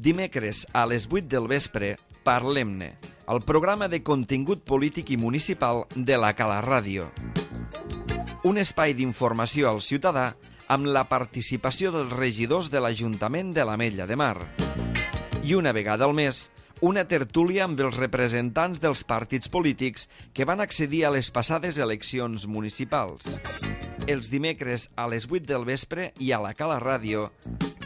Dimecres a les 8 del vespre, Parlem-ne, el programa de contingut polític i municipal de la Cala Ràdio. Un espai d'informació al ciutadà amb la participació dels regidors de l'Ajuntament de l'Ametlla de Mar. I una vegada al mes, una tertúlia amb els representants dels partits polítics que van accedir a les passades eleccions municipals. Els dimecres a les 8 del vespre i a la Cala Ràdio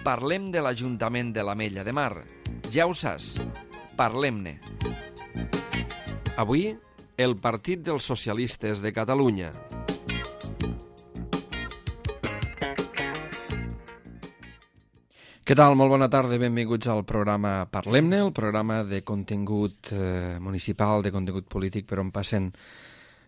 parlem de l'Ajuntament de l'Ametlla de Mar. Ja ho saps, parlem-ne. Avui, el Partit dels Socialistes de Catalunya. Què tal? Molt bona tarda, benvinguts al programa Parlem-ne, el programa de contingut municipal, de contingut polític, per on passen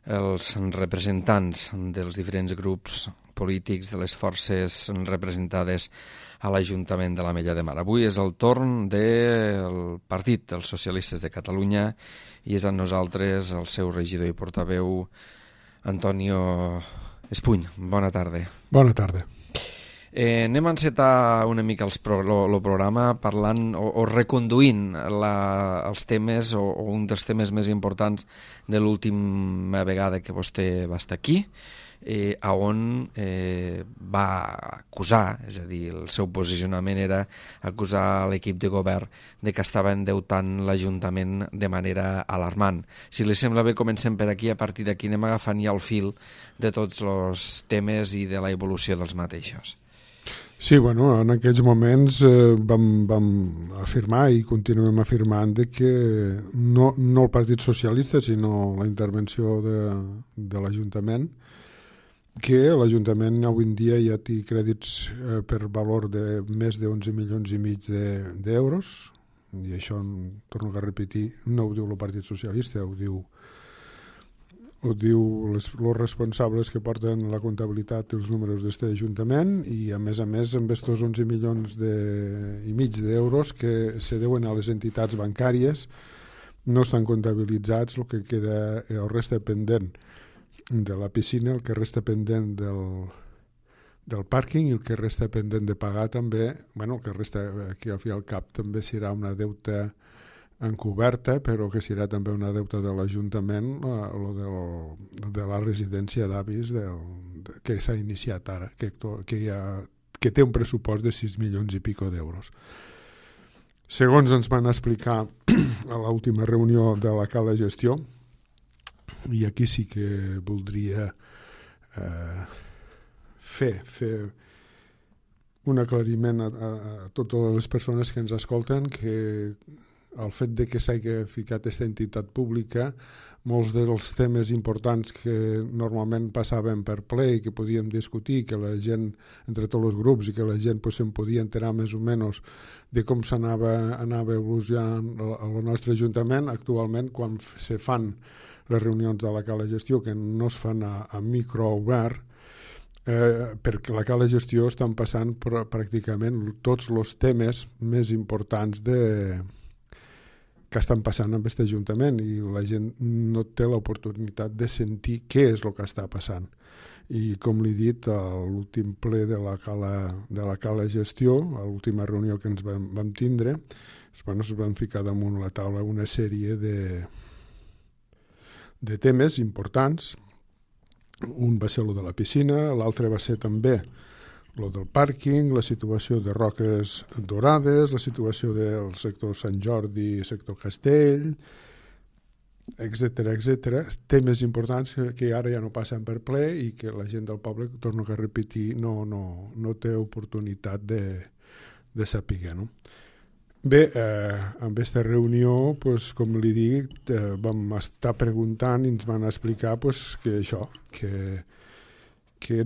els representants dels diferents grups polítics, de les forces representades a l'Ajuntament de l'Ametlla de Mar. Avui és el torn del Partit dels Socialistes de Catalunya i és amb nosaltres el seu regidor i portaveu, Antonio Espuny. Bona tarda. Bona tarda. Anem a encetar una mica el programa parlant o reconduint els temes o un dels temes més importants de l'última vegada que vostè va estar aquí, on va acusar, és a dir, el seu posicionament era acusar l'equip de govern de que estava endeutant l'Ajuntament de manera alarmant. Si li sembla bé, comencem per aquí, a partir d'aquí anem agafant ja el fil de tots els temes i de la evolució dels mateixos. Sí, bueno, en aquells moments vam afirmar i continuem afirmant que no el Partit Socialista, sinó la intervenció de l'Ajuntament, que l'Ajuntament avui en dia ja té crèdits per valor de més de 11 milions i mig d'euros, i això, torno a repetir, no ho diu el Partit Socialista, ho diu els responsables que porten la comptabilitat i els números d'aquest Ajuntament, i a més amb aquests 11 milions i mig d'euros que se deuen a les entitats bancàries no estan comptabilitzats. El que queda, el resta pendent de la piscina, el que resta pendent del pàrquing i el que resta pendent de pagar també, el que resta aquí al fi al cap també serà una deuta encoberta, però que serà també una deuta de l'Ajuntament, de la residència d'avis que s'ha iniciat ara, que té un pressupost de 6 milions i pico d'euros. Segons ens van explicar a l'última reunió de la Cala Gestió, i aquí sí que voldria fer un aclariment a totes les persones que ens escolten, que el fet de que s'hagi ficat aquesta entitat pública, molts dels temes importants que normalment passaven per ple i que podíem discutir, que la gent, entre tots els grups, i que la gent se'n podia enterar més o menys de com s'anava evolucionant el nostre Ajuntament, actualment quan se fan les reunions de la Cala Gestió, que no es fan a micro obert, perquè la Cala Gestió estan passant pràcticament tots els temes més importants que estan passant amb aquest Ajuntament, i la gent no té l'oportunitat de sentir què és el que està passant. I com li he dit, a l'últim ple de la Cala Gestió, a l'última reunió que ens vam tindre, es van ficar damunt la taula una sèrie de temes importants. Un va ser el de la piscina, l'altre va ser també el del pàrquing, la situació de Roques Dorades, la situació del sector Sant Jordi, sector Castell, etc. Temes importants que ara ja no passen per ple i que la gent del poble, torno a repetir, no té oportunitat de saber, no? Bé, en aquesta reunió, com li dic, vam estar preguntant i ens van explicar que això, que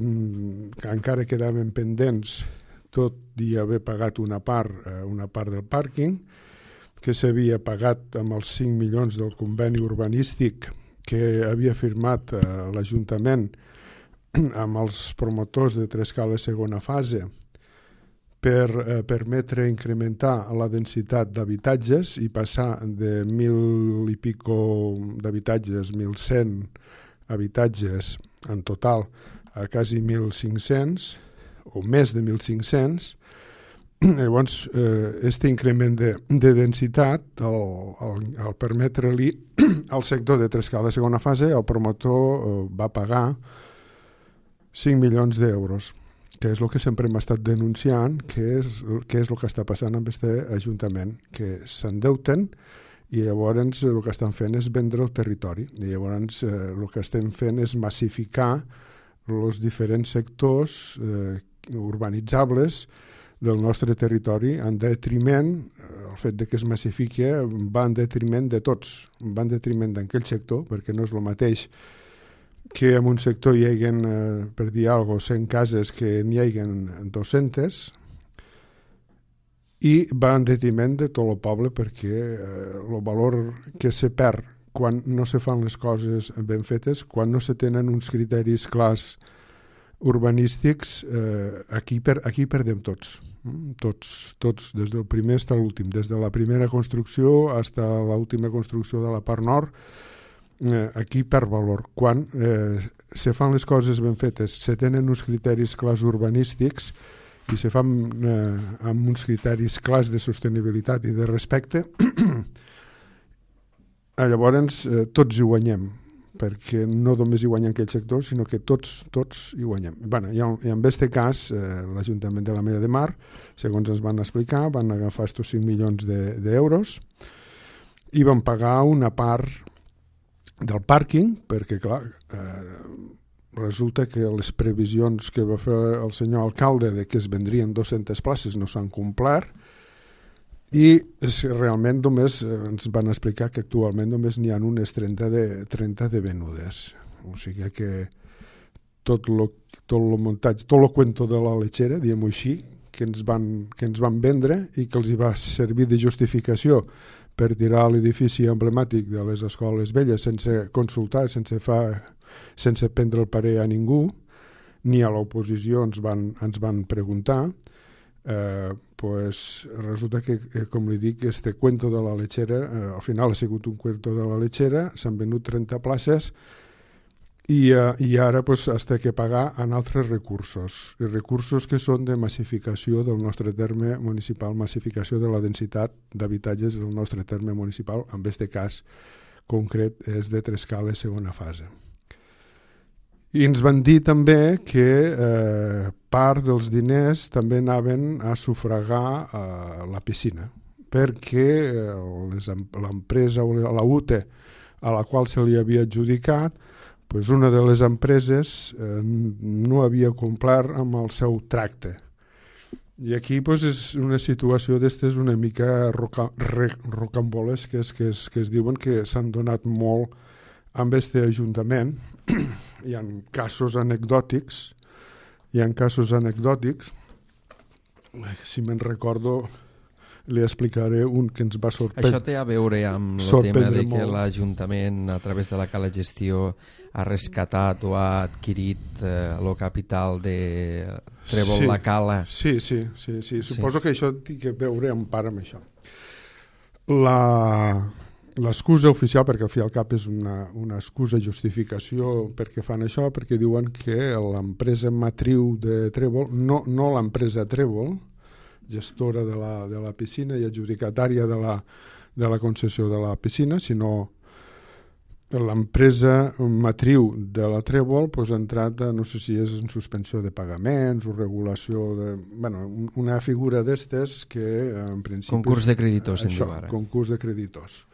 encara quedaven pendents, tot i haver pagat una part del pàrquing, que s'havia pagat amb els 5 milions del conveni urbanístic que havia firmat l'Ajuntament amb els promotors de Trescala segona fase per permetre incrementar la densitat d'habitatges i passar de 1.000 i pico d'habitatges, 1.100 habitatges en total, a quasi 1.500 o més de 1.500, Llavors, aquest increment de densitat, al permetre-li al sector de Trescala de segona fase, el promotor va pagar 5 milions d'euros, que és el que sempre hem estat denunciant, que és el que està passant amb aquest ajuntament, que s'endeuten i llavors el que estan fent és vendre el territori. I llavors el que estem fent és massificar els diferents sectors urbanitzables del nostre territori en detriment, el fet de que es massifiqui va en detriment de tots, va en detriment d'aquell sector, perquè no és el mateix que en un sector hi hagi, per dir alguna cosa, 100 cases que n'hi hagi 200, i va en detriment de tot el poble, perquè el valor que se perd quan no se fan les coses ben fetes, quan no se tenen uns criteris clars urbanístics, aquí perdem tots, des del primer fins a l'últim, des de la primera construcció fins a l'última construcció de la part nord, aquí perd valor. Quan se fan les coses ben fetes, se tenen uns criteris clars urbanístics i se fan amb uns criteris clars de sostenibilitat i de respecte, llavors tots hi guanyem, perquè no només hi guanyen aquell sector, sinó que tots hi guanyem. I en aquest cas, l'Ajuntament de l'Ametlla de Mar, segons ens van explicar, van agafar estos 5 milions d'euros i van pagar una part del pàrquing, perquè, clar, resulta que les previsions que va fer el senyor alcalde de que es vendrien 200 places no s'han complert, i realment només ens van explicar que actualment només n'hi ha unes 30 de venudes. O sigui que tot el muntatge, tot el cuento de la lechera, diguem-ho així, que ens van vendre i que els va servir de justificació per tirar l'edifici emblemàtic de les escoles velles sense consultar, sense prendre el parer a ningú, ni a l'oposició ens van preguntar. Resulta que, com li dic, este cuento de la lechera, al final ha sigut un cuento de la lechera, s'han venut 30 places i ara has de pagar en altres recursos que són de massificació del nostre terme municipal, massificació de la densitat d'habitatges del nostre terme municipal, en aquest cas concret és de Trescala segona fase. I ens van dir també que part dels diners també anaven a sufragar la piscina, perquè l'empresa o la UTE a la qual se li havia adjudicat, una de les empreses no havia complert amb el seu tracte. I aquí és una situació d'estes una mica rocambolesques que es diuen que s'han donat molt amb aquest ajuntament. Hi ha casos anecdòtics, si me'n recordo li explicaré un que ens va sorprendre. Això té a veure amb el tema de que l'Ajuntament a través de la Cala Gestió ha rescatat o ha adquirit el capital de Trèvol la Cala. Sí. Suposo que això té a veure en part amb això. L'excusa oficial, perquè al fi i al cap és una excusa, justificació perquè fan això, perquè diuen que l'empresa matriu de Trèvol, no l'empresa Trèvol, gestora de la piscina i adjudicatària de la concessió de la piscina, sinó l'empresa matriu de la Trèvol ha entrat, no sé si és en suspensió de pagaments o regulació una figura d'estes que en principi... Concurs de creditors, en diu ara. Concurs de creditors.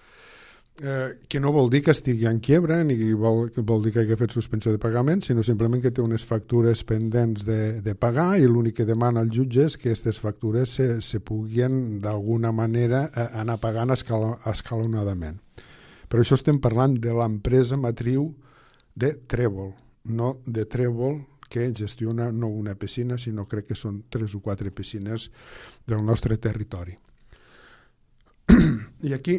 Que no vol dir que estigui en quiebra ni vol dir que hagi fet suspensió de pagament, sinó simplement que té unes factures pendents de pagar i l'únic que demana el jutge és que aquestes factures se puguin d'alguna manera anar pagant escalonadament. Però això estem parlant de l'empresa matriu de Trèvol, no de Trèvol que gestiona no una piscina, sinó crec que són 3 o 4 piscines del nostre territori. I aquí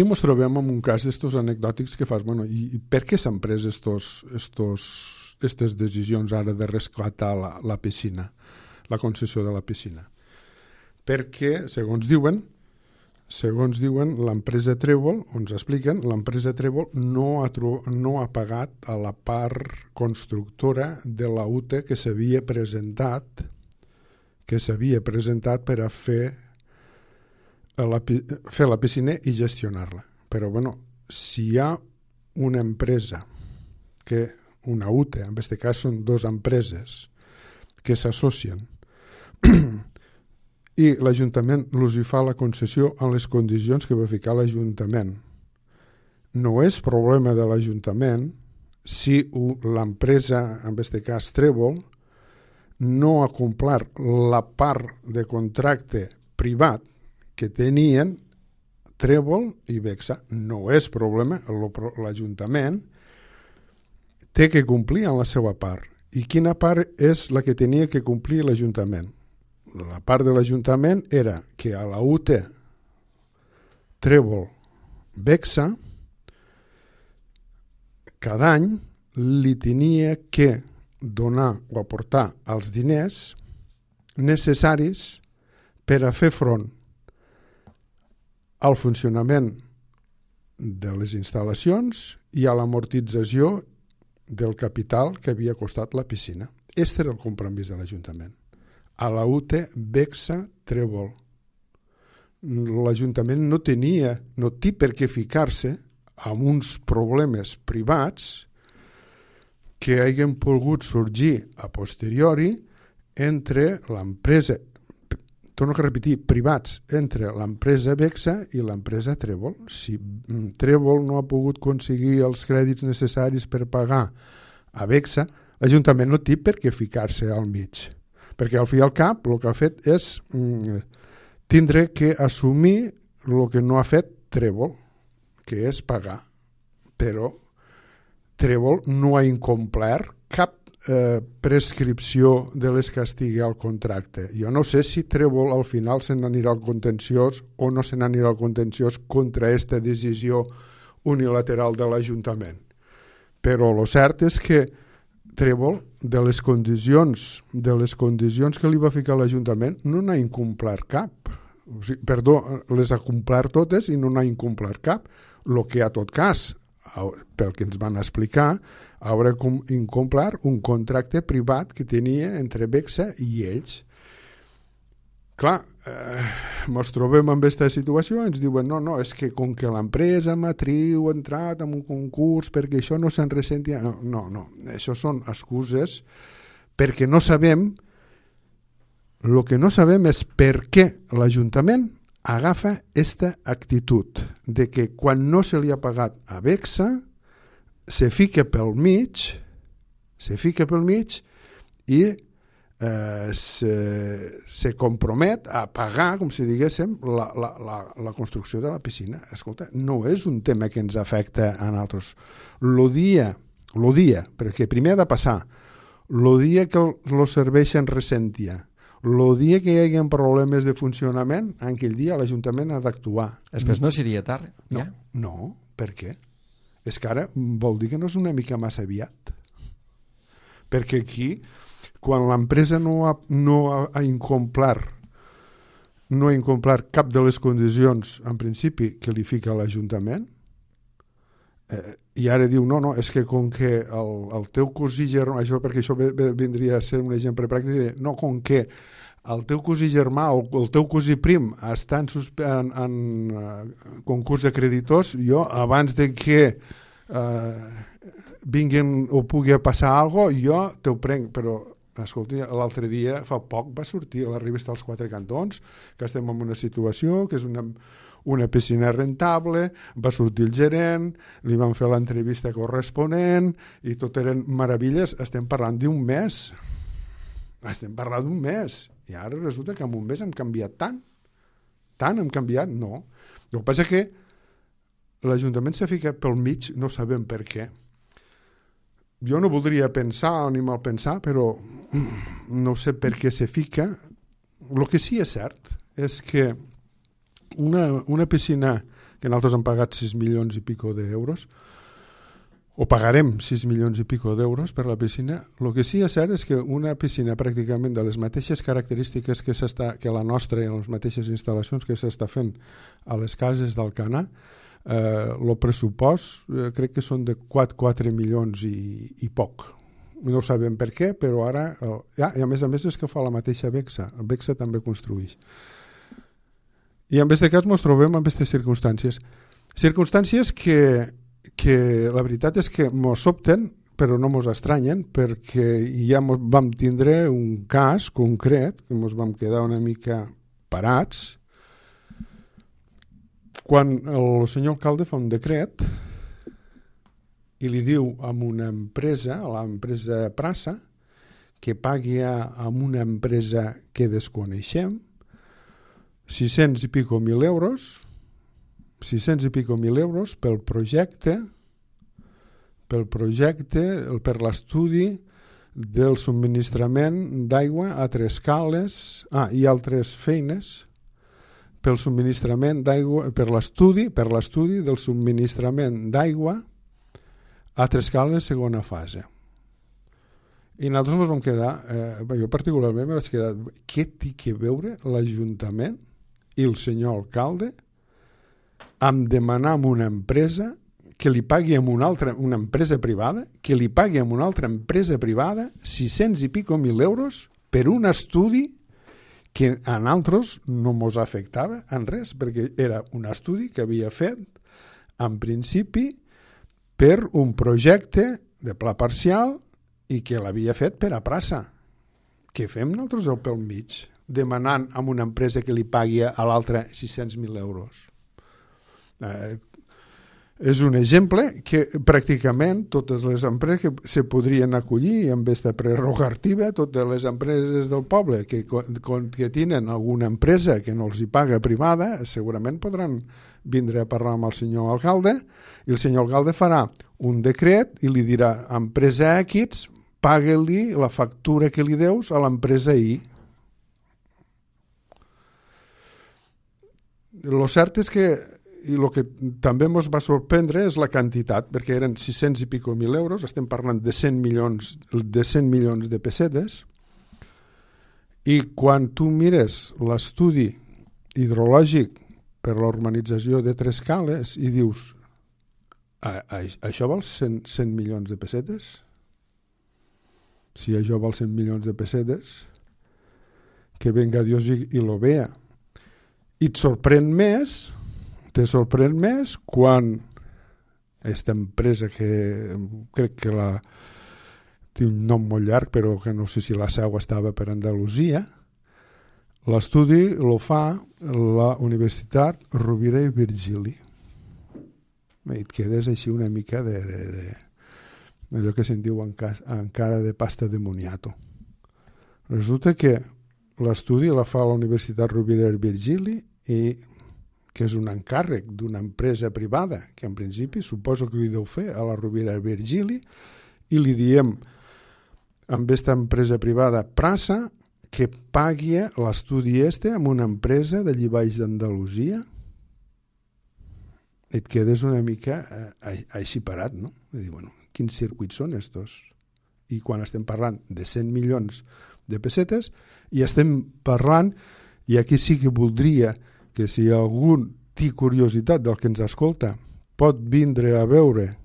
ens trobem en un cas d'estos anecdòtics que fas, i per què s'han pres aquestes decisions ara de rescatar la piscina, la concessió de la piscina? Perquè, segons diuen, l'empresa Trèvol, ens expliquen, l'empresa Trèvol no ha pagat a la part constructora de la UTE que s'havia presentat que s'havia presentat per a fer la piscina i gestionar-la. Però, bueno, si hi ha una empresa, una UTE, en aquest cas són dues empreses que s'associen i l'Ajuntament els hi fa la concessió en les condicions que va ficar l'Ajuntament. No és problema de l'Ajuntament si l'empresa, en aquest cas Trèvol, no ha complert la part de contracte privat que tenien Trèvol i Bexa. No és problema, l'Ajuntament té que complir en la seva part. I quina part és la que tenia que complir l'Ajuntament? La part de l'Ajuntament era que a la UTE Trèvol Bexa cada any li tenia que donar o aportar els diners necessaris per a fer front al funcionament de les instal·lacions i a l'amortització del capital que havia costat la piscina. Este era el compromís de l'Ajuntament. A la UTE Bexa Trèvol. L'Ajuntament no té per què ficar-se amb uns problemes privats que hagin pogut sorgir a posteriori entre l'empresa, torno a repetir, privats, entre l'empresa Bexa i l'empresa Trèvol. Si Trèvol no ha pogut aconseguir els crèdits necessaris per pagar a Bexa, l'Ajuntament no té per què ficar-se al mig. Perquè al fi i al cap el que ha fet és tindre que assumir el que no ha fet Trèvol, que és pagar. Però Trèvol no ha incomplert cap prescripció de les que estigui al contracte. Jo no sé si Trèvol al final se n'anirà al contenciós o no se n'anirà al contenciós contra aquesta decisió unilateral de l'Ajuntament. Però el cert és que Trèvol, de les condicions que li va ficar l'Ajuntament, no n'ha incomplert cap. Les ha complert totes i no n'ha incomplert cap. El que, a tot cas, pel que ens van explicar, haurà incomplert un contracte privat que tenia entre Bexa i ells. Clar, ens trobem en aquesta situació i ens diuen no, és que com que l'empresa matriu ha entrat en un concurs perquè això no se'n ressenti... No, això són excuses perquè no sabem. El que no sabem és per què l'Ajuntament agafa aquesta actitud de que quan no se li ha pagat a Bexa se fica pel mig i se compromet a pagar, com si diguéssim, la construcció de la piscina. Escolta, no és un tema que ens afecta a nosaltres. Lo dia, perquè primer ha de passar, el dia que els serveis se'n ressentia, el dia que hi hagi problemes de funcionament, en aquell dia l'Ajuntament ha d'actuar. Després no seria tard? Ja? No, per què? És que ara vol dir que no és una mica massa aviat. Perquè aquí, quan l'empresa no ha incomplert cap de les condicions, en principi, que li fica l'Ajuntament, i ara diu, no, és que com que el teu cosí germà, perquè això vindria a ser un exemple pràctic, no, com que el teu cosí germà o el teu cosí prim està en concurs de creditors, jo, abans de que vinguin o pugui passar alguna cosa, jo te ho prenc, però escolta, l'altre dia, fa poc, va sortir a la revista Els Quatre Cantons que estem en una situació que és una piscina rentable, va sortir el gerent, li van fer l'entrevista corresponent i tot eren meravelles. Estem parlant d'un mes. I ara resulta que en un mes hem canviat tant hem canviat, no. El que passa és que l'Ajuntament s'ha ficat pel mig, no sabem per què. Jo no voldria pensar ni mal pensar, però no sé per què se fica. El que sí és cert és que una piscina que nosaltres hem pagat 6 milions i pico d'euros, o pagarem 6 milions i pico d'euros per la piscina, el que sí és cert és que una piscina pràcticament de les mateixes característiques que la nostra i les mateixes instal·lacions que s'està fent a les cases d'Alcanar, el pressupost crec que són de 4 milions i poc. no sabem per què, però ara... I a més és que fa la mateixa Bexa. El Bexa també construeix. I en aquest cas ens trobem en aquestes circumstàncies. Circumstàncies que la veritat és que ens sobten, però no ens estranyen, perquè ja vam tindre un cas concret, que ens vam quedar una mica parats, quan el senyor alcalde fa un decret i li diu a una empresa, a l'empresa Prasa, que pagui a una empresa que desconeixem 600 i pico mil euros pel projecte, per l'estudi del subministrament d'aigua a Trescales i altres feines pel subministrament d'aigua, per l'estudi del subministrament d'aigua a Trescales segona fase. I nosaltres ens vam quedar, jo particularment me vaig quedar, què té que veure l'Ajuntament i el senyor alcalde amb demanar a una empresa que li pagui a una empresa privada, que li pagui a una altra empresa privada 600 i pico mil euros per un estudi que a nosaltres no ens afectava en res, perquè era un estudi que havia fet en principi per un projecte de pla parcial i que l'havia fet per a Prasa. Què fem nosaltres pel mig? Demanant a una empresa que li pagui a l'altra 600.000 euros. És un exemple que pràcticament totes les empreses que se podrien acollir amb aquesta prerrogativa, totes les empreses del poble que tenen alguna empresa que no els hi paga privada, segurament podran vindre a parlar amb el senyor alcalde i el senyor alcalde farà un decret i li dirà a empresa X, paga-li la factura que li deus a l'empresa Y. Lo cert és que i el que també ens va sorprendre és la quantitat, perquè eren 600 i pico mil euros, estem parlant de 100 milions de pessetes, i quan tu mires l'estudi hidrològic per la urbanització de Trescales i dius, això val 100 milions de pessetes? Si això val 100 milions de pessetes, que venga Dios i lo vea. I et sorprèn més quan aquesta empresa que crec que té un nom molt llarg però que no sé si la seu estava per Andalusia, l'estudi lo fa la Universitat Rovira i Virgili. I et quedes així una mica d'allò que se'n diu encara de pasta de moniato. Resulta que l'estudi la fa la Universitat Rovira i Virgili i que és un encàrrec d'una empresa privada, que en principi suposo que li deu fer a la Rovira i Virgili, i li diem amb aquesta empresa privada Prasa que pagui l'estudi amb una empresa d'allí baix d'Andalusia. Et quedes una mica així parat, no? I dir, bueno, quins circuits són estos? I quan estem parlant de 100 milions de pessetes, i estem parlant, i aquí sí que voldria que si algú té curiositat del que ens escolta pot vindre a veure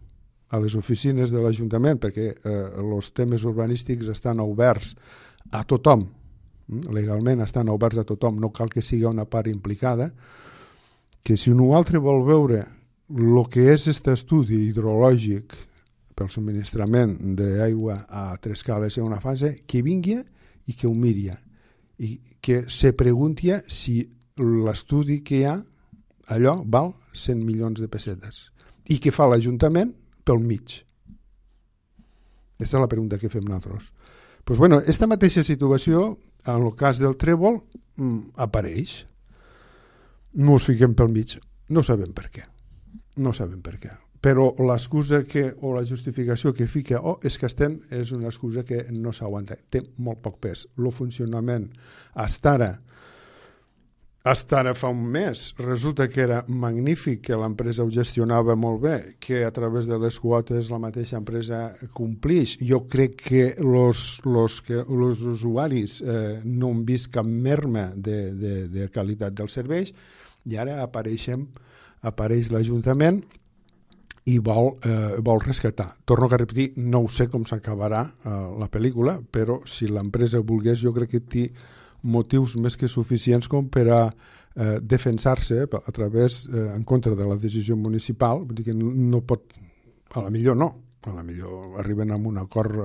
a les oficines de l'Ajuntament, perquè els temes urbanístics estan oberts a tothom, legalment estan oberts a tothom, no cal que sigui una part implicada, que si un altre vol veure el que és aquest estudi hidrològic pel subministrament d'aigua a Trescales en una fase, que vingui i que ho miri i que se pregunti si l'estudi que hi ha allò val 100 milions de pessetes i què fa l'Ajuntament pel mig. Aquesta és la pregunta que fem nosaltres. Pues bueno, aquesta mateixa situació en el cas del Trèvol apareix. No us fiquem pel mig, no sabem per què, però l'excusa o la justificació que fica és que és una excusa que no s'aguanta, té molt poc pes. El funcionament hasta ara fa un mes resulta que era magnífic, que l'empresa ho gestionava molt bé, que a través de les quotes la mateixa empresa complix. Jo crec que els usuaris no han vist cap merma de qualitat dels serveis, i ara apareix l'Ajuntament i vol rescatar. Torno a repetir, no ho sé com s'acabarà la pel·lícula, però si l'empresa volgués, jo crec que té motius més que suficients com per a defensar-se a través, en contra de la decisió municipal. Vull dir que no pot, a la millor no, a la millor arriben a un acord,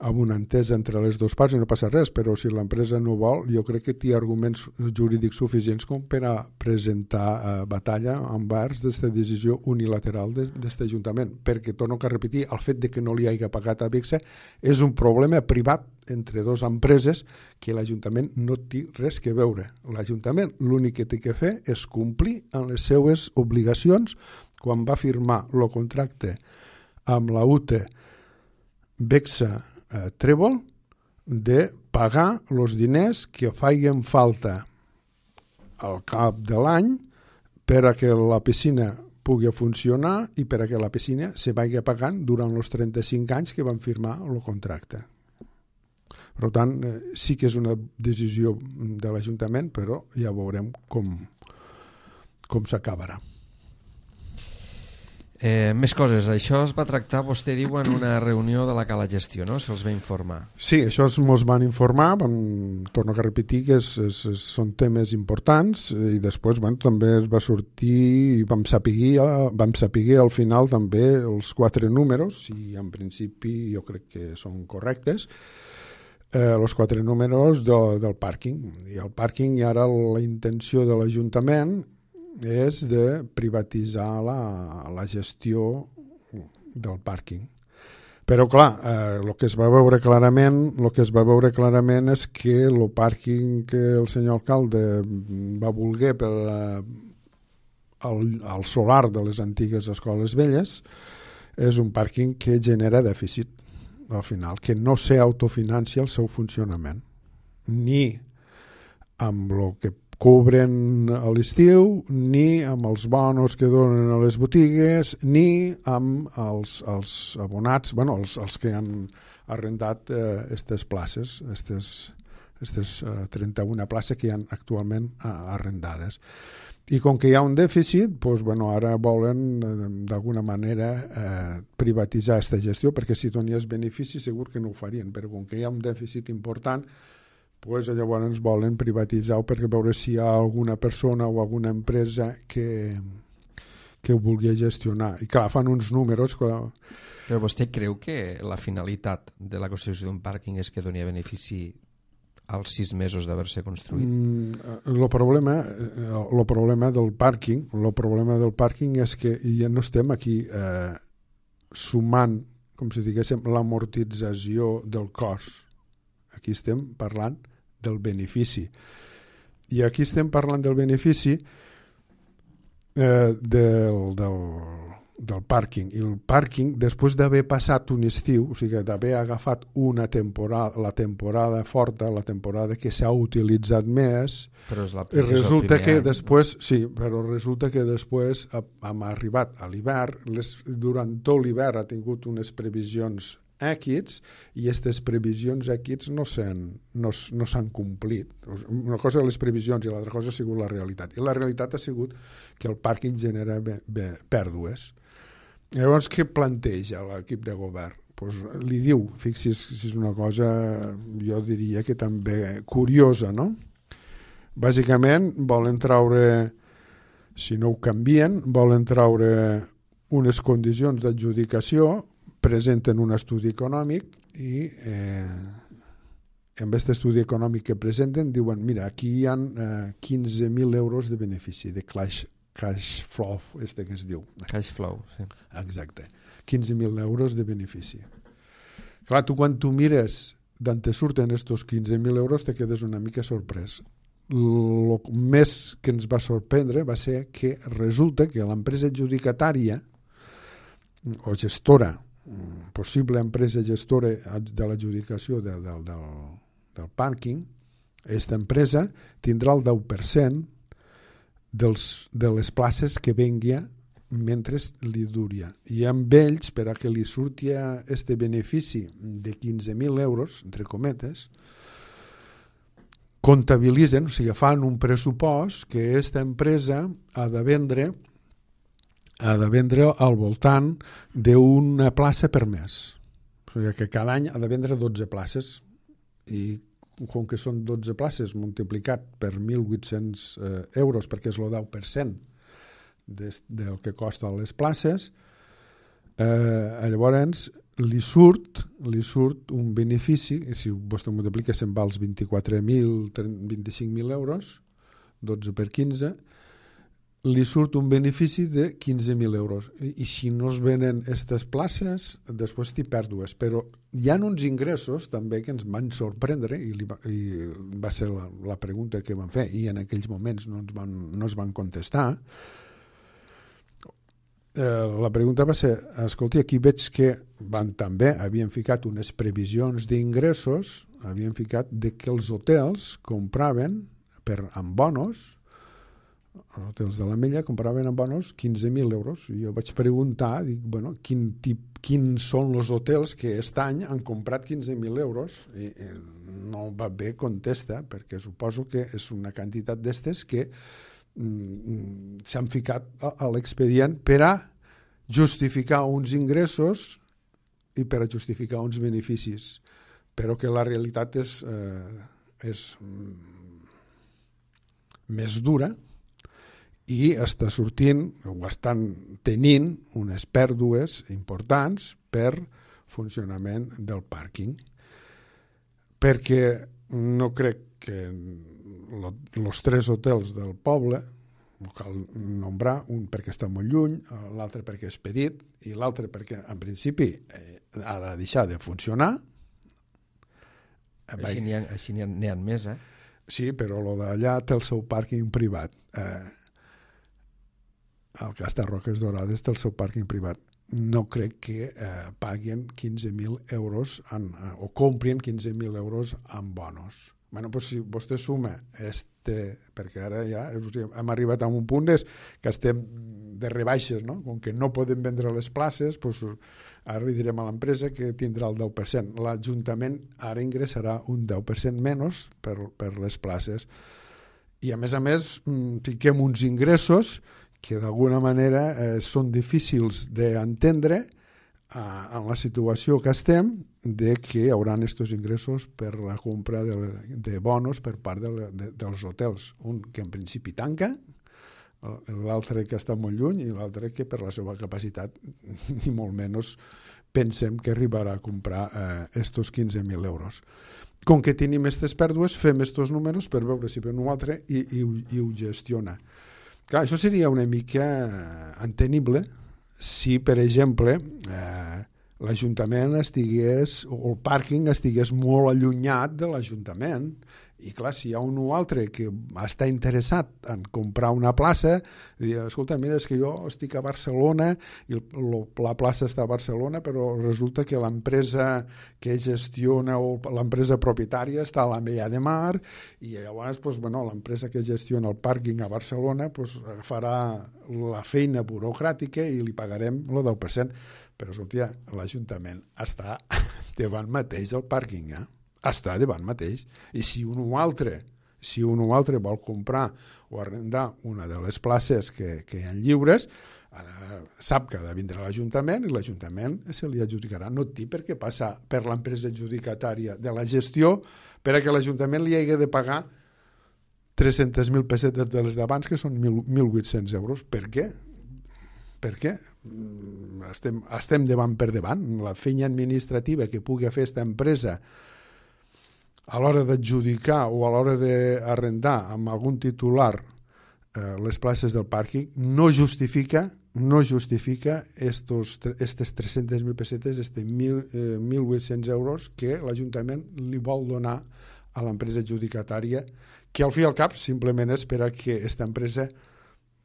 amb una entesa entre les dues parts i no passa res, però si l'empresa no vol, jo crec que té arguments jurídics suficients com per a presentar batalla envers d'aquesta decisió unilateral d'aquest Ajuntament, perquè, torno a repetir, el fet de que no li hagi pagat a Bexa és un problema privat entre dues empreses que l'Ajuntament no té res que veure. L'Ajuntament l'únic que té que fer és complir amb les seues obligacions quan va firmar el contracte amb la UTE Bexa Trèvol de pagar els diners que facin falta al cap de l'any per a que la piscina pugui funcionar i per a que la piscina se vagi pagant durant els 35 anys que van firmar el contracte. Per tant, sí que és una decisió de l'Ajuntament, però ja veurem com s'acabarà. Més coses. Això es va tractar, vostè diu, en una reunió de la Cala Gestió, no? Se'ls va informar. Sí, això ens van informar, torno a repetir que són temes importants i després també es va sortir i vam saber al final també els 4 números, i en principi jo crec que són correctes, els 4 números del pàrquing. I el pàrquing, i ara la intenció de l'Ajuntament és de privatitzar la gestió del pàrquing. Però clar, el que es va veure clarament és que el pàrquing que el senyor alcalde va voler per al solar de les antigues escoles velles és un pàrquing que genera dèficit al final, que no s'autofinancia el seu funcionament, ni amb el que cobren a l'estiu, ni amb els bonos que donen a les botigues, ni amb els abonats, els que han arrendat aquestes places, aquestes 31 places que hi ha actualment arrendades. I com que hi ha un dèficit, ara volen d'alguna manera privatitzar aquesta gestió, perquè si donés benefici segur que no ho farien, però com que hi ha un dèficit important, llavors volen privatitzar-ho perquè veure si hi ha alguna persona o alguna empresa que ho vulgui gestionar. I clar, fan uns números... Però vostè creu que la finalitat de la construcció d'un pàrquing és que doni benefici als 6 mesos d'haver-se construït? El problema del pàrquing és que ja no estem aquí sumant, com si diguéssim, l'amortització del cost. Aquí estem parlant del benefici. I aquí estem parlant del benefici del pàrquing. I el pàrquing, després d'haver passat un estiu, o sigui, d'haver agafat la temporada forta, la temporada que s'ha utilitzat més, resulta que després hem arribat a l'hivern, durant tot l'hivern ha tingut unes previsions equits, i aquestes previsions equits no s'han complit. Una cosa de les previsions i l'altra cosa ha sigut la realitat. I la realitat ha sigut que el pàrquing genera pèrdues. Llavors, què planteja l'equip de govern? Li diu, fixi's, si és una cosa, jo diria que també curiosa, no? Bàsicament, volen treure, si no ho canvien, volen treure unes condicions d'adjudicació, presenten un estudi econòmic i amb aquest estudi econòmic que presenten diuen, mira, aquí hi ha 15.000 euros de benefici, de cash flow, que es diu. Cash flow, sí. Exacte. 15.000 euros de benefici. Clar, quan tu mires d'on te surten aquests 15.000 euros te quedes una mica sorprès. El més que ens va sorprendre va ser que resulta que l'empresa adjudicatària o gestora, possible empresa gestora de l'adjudicació del pàrquing, aquesta empresa tindrà el 10% de les places que vengui mentre li duria. I amb ells, per a que li surti aquest benefici de 15.000 euros, entre cometes, comptabilitzen, o sigui, fan un pressupost que aquesta empresa ha de vendre ha de vendre al voltant d'una plaça per mes. O sigui que cada any ha de vendre 12 places i com que són 12 places multiplicat per 1.800 euros, perquè és el 10% del que costa les places, llavors li surt un benefici, si vostè multiplica se'n va als 24.000, 25.000 euros, 12 per 15, li surt un benefici de 15.000 euros. I si no es venen aquestes places, després t'hi pèrdues. Però hi ha uns ingressos també que ens van sorprendre i va ser la pregunta que vam fer i en aquells moments no es van contestar. La pregunta va ser, escolti, aquí veig que havien ficat unes previsions d'ingressos, havien ficat que els hotels compraven amb bonos, els hotels de l'Ametlla compraven amb bonos 15.000 euros. I jo vaig preguntar, dic, bueno, quins són els hotels que aquest any han comprat 15.000 euros? I no va bé contesta, perquè suposo que és una quantitat d'estes que s'han ficat a l'expedient per a justificar uns ingressos i per a justificar uns beneficis, però que la realitat és més dura i està sortint o estan tenint unes pèrdues importants per funcionament del pàrquing, perquè no crec que els 3 hotels del poble, cal nombrar, un perquè està molt lluny, l'altre perquè és petit i l'altre perquè en principi ha de deixar de funcionar. Així n'hi ha més, eh? Sí, però el d'allà té el seu pàrquing privat. El Castor Roques Dorades té el seu pàrquing privat. No crec que paguen 15.000 euros o comprin 15.000 euros en bonos. Bueno, pues si vostè suma perquè ara ja hem arribat a un punt que estem de rebaixes, no? Com que no podem vendre les places, pues ara li direm a l'empresa que tindrà el 10%. L'Ajuntament ara ingressarà un 10% menys per les places. I a més, fiquem uns ingressos que d'alguna manera són difícils d'entendre en la situació que estem, de que hi haurà aquests ingressos per la compra de bonos per part dels hotels. Un que en principi tanca, l'altre que està molt lluny i l'altre que per la seva capacitat ni molt menys pensem que arribarà a comprar estos 15.000 euros. Com que tenim aquestes pèrdues, fem aquests números per veure si per un altre i ho gestiona. Clar, això seria una mica entenible si, per exemple, l'Ajuntament estigués, o el pàrquing estigués molt allunyat de l'Ajuntament. I clar, si hi ha un o altre que està interessat en comprar una plaça, dir, escolta, mira, és que jo estic a Barcelona i la plaça està a Barcelona, però resulta que l'empresa que gestiona o l'empresa propietària està a l'Ametlla de Mar i llavors l'empresa que gestiona el pàrquing a Barcelona farà la feina burocràtica i li pagarem el 10%. Però, escolta, l'Ajuntament està davant mateix del pàrquing, està davant mateix. I si un o altre vol comprar o arrendar una de les places que hi ha lliures, sap que ha de vindre a l'Ajuntament i l'Ajuntament se li adjudicarà. No té per què passar per l'empresa adjudicatària de la gestió per a que l'Ajuntament li hagi de pagar 300.000 pessetes de les d'abans, que són 1.800 euros. Per què? Per què? Estem davant per davant. La feina administrativa que pugui fer aquesta empresa a l'hora d'adjudicar o a l'hora d'arrendar amb algun titular les places del pàrquing no justifica estes 300.000 pessetes, estes 1.800 euros que l'Ajuntament li vol donar a l'empresa adjudicatària, que al fi i al cap simplement és per a que aquesta empresa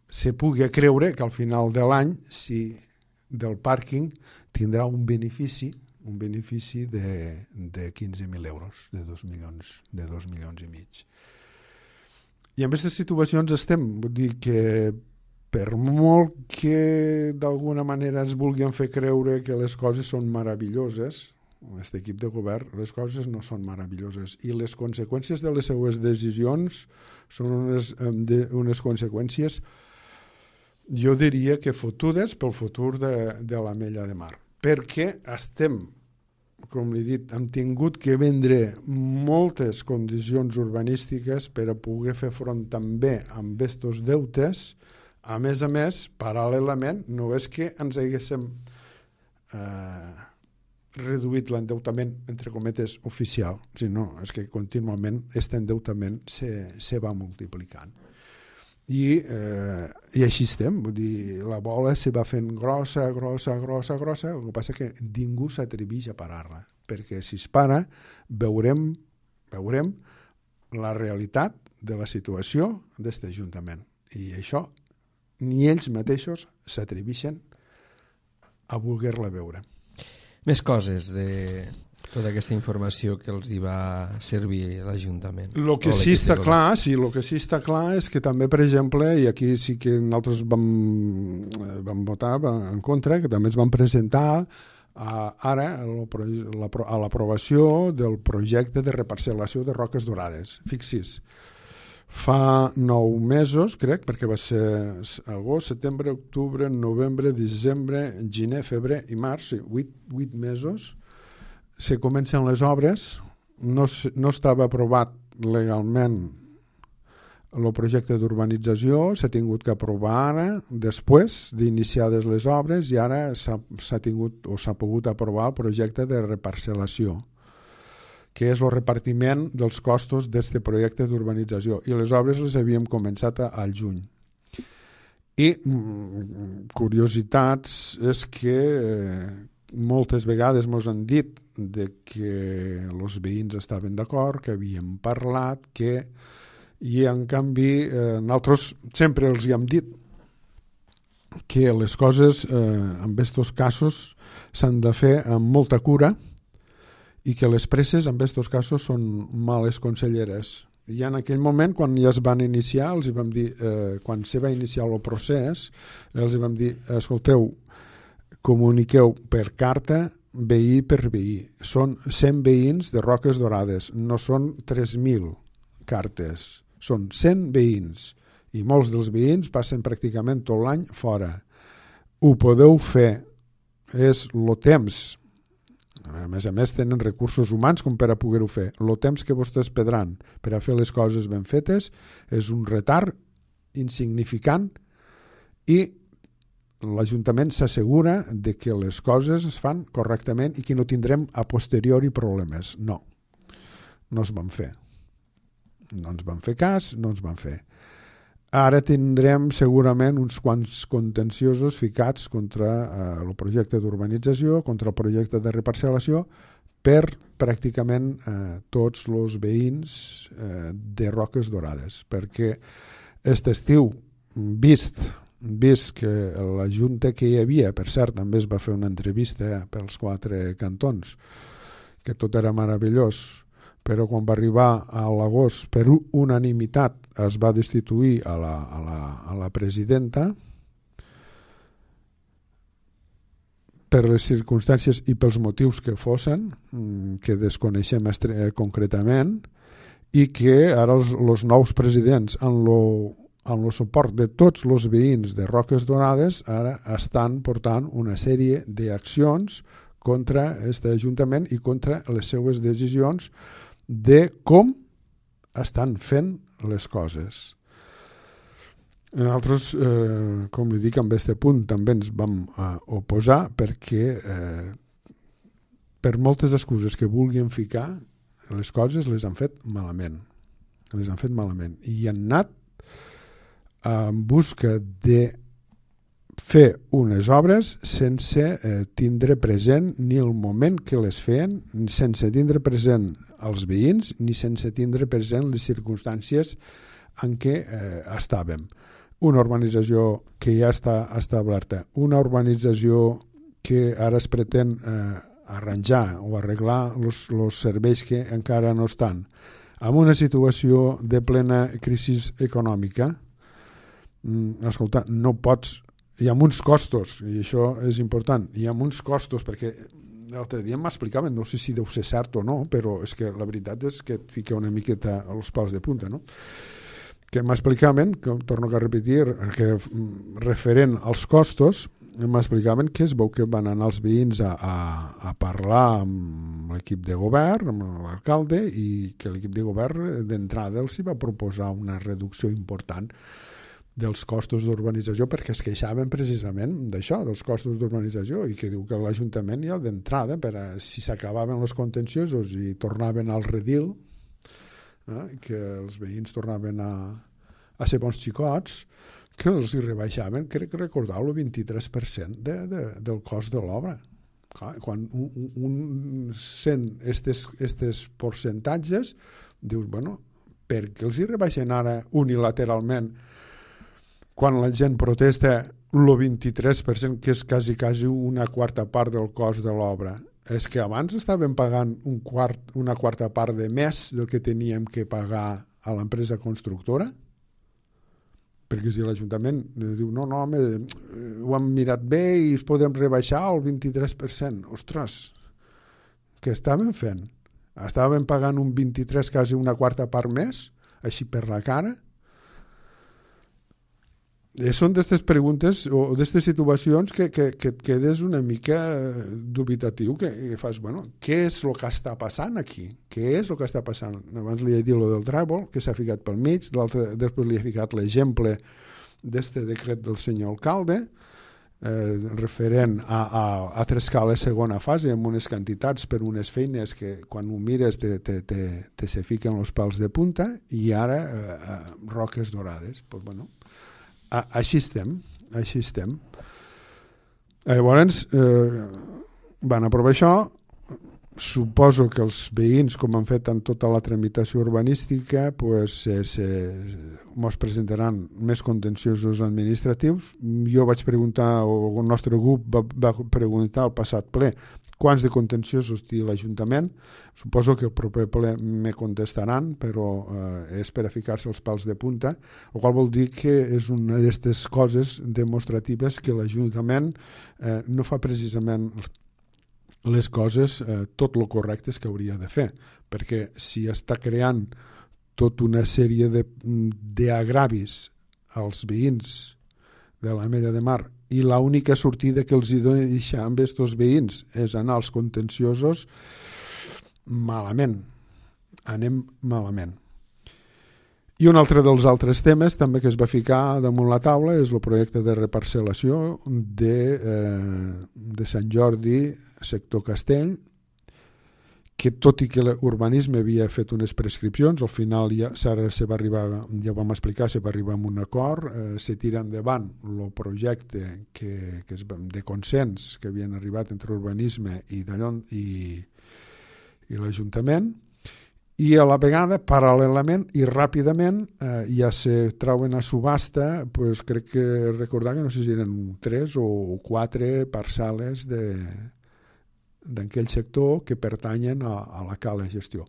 se pugui creure que al final de l'any del pàrquing tindrà un benefici de 15.000 euros, de 2 milions i mig. I en aquestes situacions estem, vull dir que per molt que d'alguna manera ens vulguin fer creure que les coses són meravelloses, aquest equip de govern, les coses no són meravelloses i les conseqüències de les seues decisions són unes conseqüències Jo diria que fotudes pel futur de l'Ametlla de Mar, perquè estem, com he dit, hem tingut que vendre moltes condicions urbanístiques per a poder fer front també amb estos deutes. A més, paral·lelament, no és que ens haguéssim reduït l'endeutament, entre cometes, oficial, sinó és que contínuament aquest endeutament se va multiplicant. I així estem, vull dir, la bola se va fent grossa, el que passa que ningú s'atreveix a parar-la, perquè si es para veurem la realitat de la situació d'aquest Ajuntament, i això ni ells mateixos s'atreveixen a voler-la veure. Més coses de tota aquesta informació que els hi va servir l'Ajuntament. El que sí està clar és que també, per exemple, i aquí sí que nosaltres vam votar en contra, que també es van presentar ara a l'aprovació del projecte de reparcel·lació de Roques Dorades. Fixi's, fa 9 mesos, crec, perquè va ser agost, setembre, octubre, novembre, desembre, gener, febrer i març, 8 mesos, se comencen les obres, no estava aprovat legalment el projecte d'urbanització, s'ha tingut que aprovar ara, després d'iniciades les obres, i ara s'ha pogut aprovar el projecte de reparcel·lació, que és el repartiment dels costos d'aquest projecte d'urbanització, i les obres les havíem començat al juny. I curiositats és que moltes vegades ens han dit que els veïns estaven d'acord, que havíem parlat, i en canvi nosaltres sempre els hi hem dit que les coses en aquests casos s'han de fer amb molta cura i que les presses en aquests casos són males conselleres. I en aquell moment, quan ja es van iniciar, els vam dir, quan se va iniciar el procés, els vam dir, escolteu, comuniqueu per carta veí per veí. Són 100 veïns de Roques Dorades, no són 3.000 cartes, són 100 veïns, i molts dels veïns passen pràcticament tot l'any fora. Ho podeu fer, és el temps, a més tenen recursos humans com per a poder-ho fer, el temps que vostès perdran per a fer les coses ben fetes és un retard insignificant, i l'Ajuntament s'assegura de que les coses es fan correctament i que no tindrem a posteriori problemes. No es van fer. No ens van fer cas, no ens van fer. Ara tindrem segurament uns quants contenciosos ficats contra el projecte d'urbanització, contra el projecte de reparcel·lació, per pràcticament tots els veïns de Roques Dorades, perquè aquest estiu, vist que la junta que hi havia, per cert, també es va fer una entrevista pels 4 cantons, que tot era meravellós, però quan va arribar a l'agost, per unanimitat, es va destituir a la presidenta per les circumstàncies i pels motius que fossin, que desconeixem concretament, i que ara els nous presidents, amb el suport de tots els veïns de Roques Dorades, ara estan portant una sèrie d'accions contra aquest Ajuntament i contra les seues decisions de com estan fent les coses. Nosaltres, com li dic, en aquest punt també ens vam oposar, perquè per moltes excuses que vulguin ficar, les coses les han fet malament. I han anat en busca de fer unes obres sense tindre present ni el moment que les feien, sense tindre present els veïns, ni sense tindre present les circumstàncies en què estàvem. Una urbanització que ja està establerta, una urbanització que ara es pretén arranjar o arreglar els serveis que encara no estan, amb una situació de plena crisi econòmica. Escolta, no pots, hi ha uns costos, i això és important, hi ha uns costos, perquè l'altre dia m'explicaven, no sé si deu ser cert o no, però és que la veritat és que et fica una miqueta els pals de punta, no? que m'explicaven, que torno a repetir, que referent als costos, m'explicaven que es veu que van anar els veïns a parlar amb l'equip de govern, amb l'alcalde, i que l'equip de govern d'entrada els hi va proposar una reducció important dels costos d'urbanització, perquè es queixaven precisament d'això, dels costos d'urbanització, i que diu que l'Ajuntament ja d'entrada, si s'acabaven els contenciosos i tornaven al redil, que els veïns tornaven a ser bons xicots, que els hi rebaixaven, crec que recordar el 23% del cost de l'obra. Quan un sent aquests percentatges, dius, bueno, per què els hi rebaixen ara unilateralment quan la gent protesta el 23%, que és quasi una quarta part del cost de l'obra? És que abans estaven pagant una quarta part de més del que teníem que pagar a l'empresa constructora? Perquè si l'Ajuntament diu no, home, ho hem mirat bé i es podem rebaixar el 23%. Ostres, què estaven fent? Estaven pagant un 23%, quasi una quarta part més, així per la cara? Són d'aquestes preguntes o d'aquestes situacions que et quedes una mica dubitatiu, que fas, bueno, què és el que està passant aquí? Què és el que està passant? Abans li he dit el del tràbol, que s'ha ficat pel mig, després li he ficat l'exemple d'aquest decret del senyor alcalde, referent a Trescala segona fase, amb unes quantitats per unes feines que quan ho mires te se fiquen els pals de punta, i ara roques dorades. Pues bueno, així estem. Llavors van aprovar això. Suposo que els veïns, com han fet en tota la tramitació urbanística, mos presentaran més contenciosos administratius. Jo vaig preguntar, o el nostre grup va preguntar al passat ple, quants de contenciosos té l'Ajuntament. Suposo que el proper ple me contestaran, però és per a ficar-se els pals de punta, el qual vol dir que és una d'aquestes coses demostratives que l'Ajuntament no fa precisament les coses tot el correctes que hauria de fer, perquè si està creant tota una sèrie d'agravis als veïns de l'Ametlla de Mar i l'única sortida que els hi deixa amb aquests veïns és anar als contenciosos, anem malament. I un altre dels altres temes també que es va ficar damunt la taula és el projecte de reparcel·lació de Sant Jordi, sector Castell, que tot i que l'urbanisme havia fet unes prescripcions, al final ja vam explicar, se va arribar a un acord, se tira endavant el projecte de consens que havien arribat entre urbanisme i l'Ajuntament, i a la vegada, paral·lelament i ràpidament, ja se trauen a subhasta, crec que recordar que no sé si eren 3 o 4 parcel·les d'aquell sector que pertanyen a la Cala Gestió.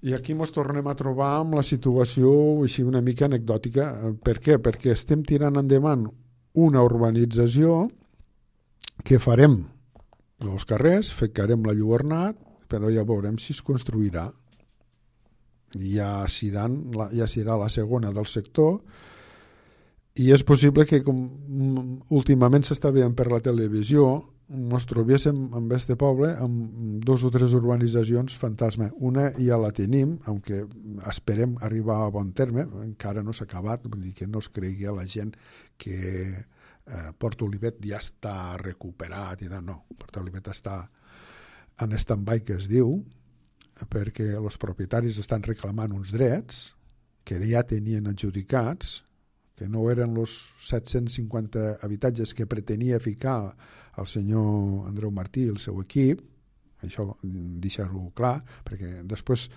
I aquí ens tornem a trobar amb la situació així una mica anecdòtica. Per què? Perquè estem tirant endavant una urbanització que farem els carrers, ficarem la lluernat, però ja veurem si es construirà. Ja serà la segona del sector, i és possible que, com últimament s'està veient per la televisió, ens trobéssim en este poble amb 2 o 3 urbanitzacions fantasma. Una ja la tenim, aunque esperem arribar a bon terme, encara no s'ha acabat, vull dir que no es cregui a la gent que Port Olivet ja està recuperat i tal. No, Port Olivet està en stand-by, que es diu, perquè els propietaris estan reclamant uns drets que ja tenien adjudicats, que no eren els 750 habitatges que pretenia ficar el senyor Andreu Martí i el seu equip. Això deixar-ho clar, perquè després,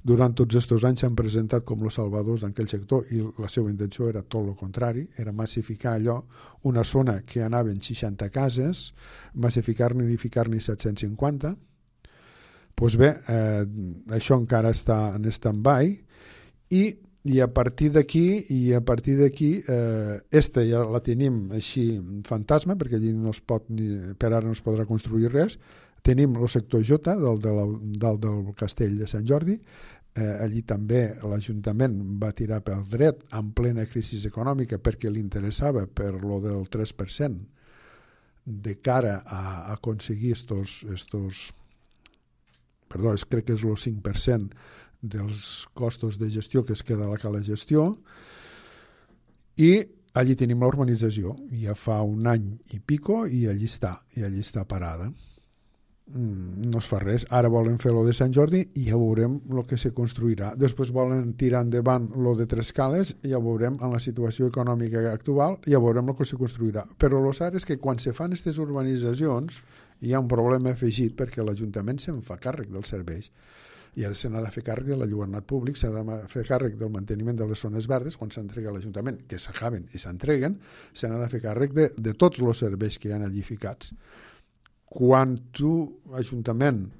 durant tots aquests anys, s'han presentat com els salvadors d'aquell sector, i la seva intenció era tot el contrari, era massificar allò, una zona que anaven 60 cases, massificar-ne i ficar-ne 750. Doncs bé, això encara està en stand-by, i a partir d'aquí esta ja la tenim així fantasma, perquè allí per ara no es podrà construir res. Tenim el sector J, dalt del castell de Sant Jordi, allí també l'Ajuntament va tirar pel dret en plena crisi econòmica perquè li interessava per lo del 3% de cara a aconseguir crec que és el 5% dels costos de gestió que es queda a la cala gestió, i allí tenim l'urbanització, ja fa un any i pico i allí està parada. No es fa res. Ara volen fer lo de Sant Jordi i ja veurem el que se construirà. Després volen tirar endavant lo de Tres Cales i ja veurem en la situació econòmica actual, ja veurem el que se construirà. Però el cert és que quan se fan aquestes urbanitzacions hi ha un problema afegit perquè l'Ajuntament se'n fa càrrec dels serveis i se n'ha de fer càrrec de l'enlluernat públic, s'ha de fer càrrec del manteniment de les zones verdes quan s'entrega a l'Ajuntament, que s'acaben i s'entreguen, se n'ha de fer càrrec de tots els serveis que hi ha allí ficats. Quan un ajuntament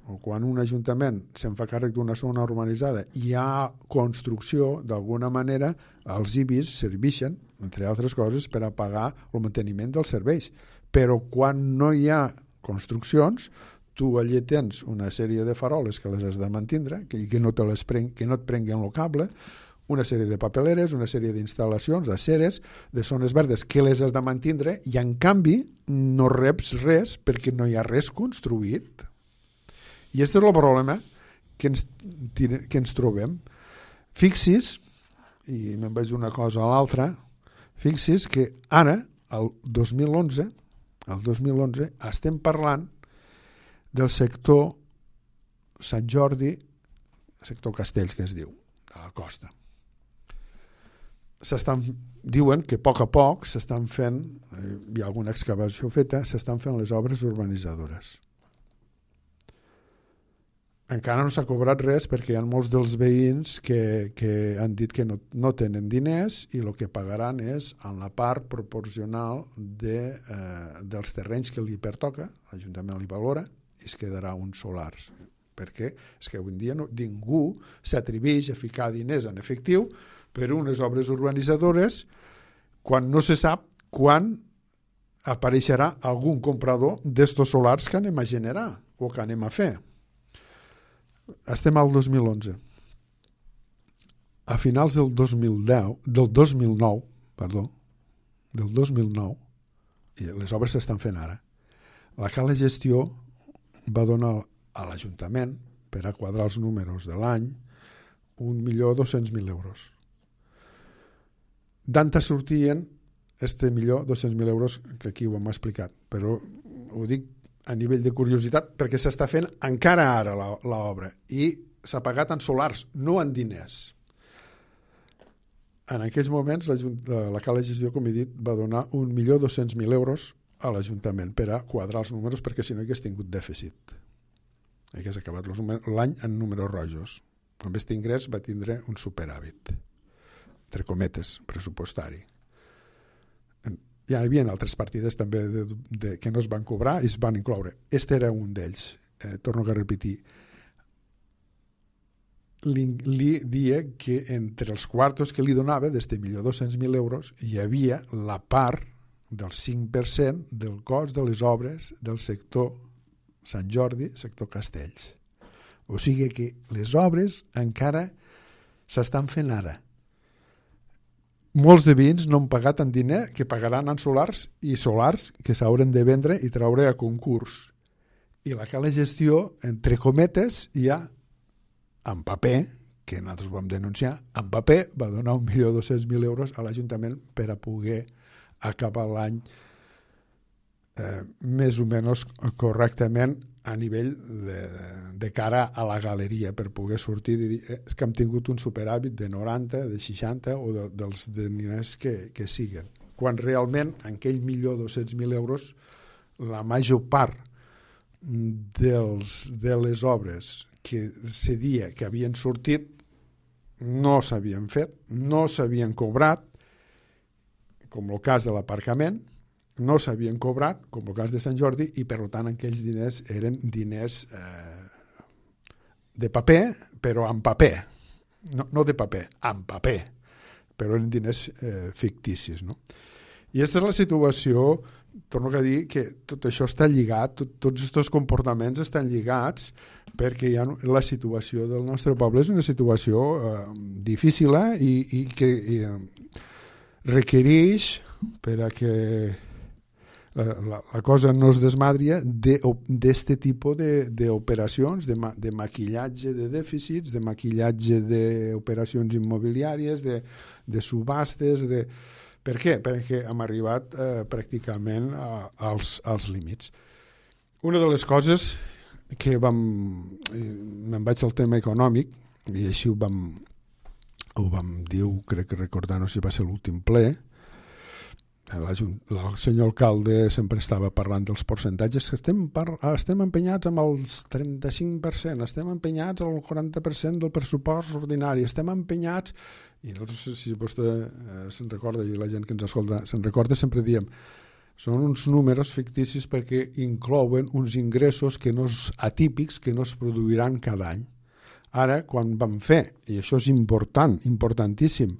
se'n fa càrrec d'una zona urbanitzada i hi ha construcció, d'alguna manera els IBIs serveixen, entre altres coses, per a pagar el manteniment dels serveis. Però quan no hi ha construccions, tu allà tens una sèrie de faroles que les has de mantindre, que no et prenguen el cable, una sèrie de papeleres, una sèrie d'instal·lacions, d'aceres, de zones verdes que les has de mantindre i en canvi no reps res perquè no hi ha res construït. I aquest és el problema que ens trobem. Fixis, i me'n vaig d'una cosa a l'altra, fixis que ara, el 2011, estem parlant del sector Sant Jordi, sector Castells que es diu, de la costa. Diuen que a poc s'estan fent, hi ha alguna excavació feta, s'estan fent les obres urbanitzadores. Encara no s'ha cobrat res perquè hi ha molts dels veïns que han dit que no tenen diners i el que pagaran és en la part proporcional dels terrenys que li pertoca, l'Ajuntament li valora, i es quedarà uns solars. Perquè és que avui en dia ningú s'atreveix a ficar diners en efectiu per unes obres urbanitzadores quan no se sap quan apareixerà algun comprador d'estos solars que anem a generar o que anem a fer. Estem al 2011. A finals del 2009, i les obres s'estan fent ara, la cala gestió va donar a l'Ajuntament, per a quadrar els números de l'any, 1.200.000 euros. D'anta sortien 1.200.000 euros, que aquí ho hem explicat, però ho dic a nivell de curiositat perquè s'està fent encara ara l'obra i s'ha pagat en solars, no en diners. En aquells moments la cala gestió, com he dit, va donar 1.200.000 euros a l'Ajuntament per a quadrar els números perquè si no hagués tingut dèficit. Hagués acabat l'any en números rojos. Amb aquest ingrés va tindre un superàvit, entre cometes, pressupostari. Hi havia altres partides també que no es van cobrar i es van incloure. Este era un d'ells. Torno a repetir. Li dia que entre els quartos que li donava, d'este 1.200.000 euros, hi havia la part del 5% del cost de les obres del sector Sant Jordi, sector Castells. O sigui que les obres encara s'estan fent ara. Molts de veïns no han pagat en diner, que pagaran en solars i solars que s'hauran de vendre i treure a concurs. I la cala gestió, entre cometes, ja en paper, que nosaltres vam denunciar, en paper va donar 1.200.000 euros a l'Ajuntament per a poder acabar l'any més o menys correctament a nivell de cara a la galeria per poder sortir i dir és que hem tingut un superàvit de 90, de 60 o dels diners que siguen. Quan realment en aquell 1.200.000 euros la major part de les obres que se dia que havien sortit no s'havien fet, no s'havien cobrat, com el cas de l'aparcament, no s'havien cobrat, com el cas de Sant Jordi, i per tant aquells diners eren diners de paper, però en paper. No de paper, en paper. Però eren diners ficticis. No? I aquesta és la situació torno a dir que tot això està lligat, tots aquests comportaments estan lligats, perquè la situació del nostre poble és una situació difícil i que requereix, per a que la cosa no es desmadria, d'aquest tipus d'operacions, de maquillatge de dèficits, de maquillatge d'operacions immobiliàries, de subhastes. Per què? Perquè hem arribat pràcticament als límits. Una de les coses que me'n vaig al tema econòmic, i així ho vam dir, crec que recordar, no sé si va ser l'últim ple, el senyor alcalde sempre estava parlant dels percentatges, que estem empenyats amb els 35%, estem empenyats al 40% del pressupost ordinari, estem empenyats, i nosaltres, si vostè se'n recorda, i la gent que ens escolta se'n recorda, sempre diem, són uns números ficticis perquè inclouen uns ingressos atípics que no es produiran cada any. Ara, quan vam fer, i això és important, importantíssim,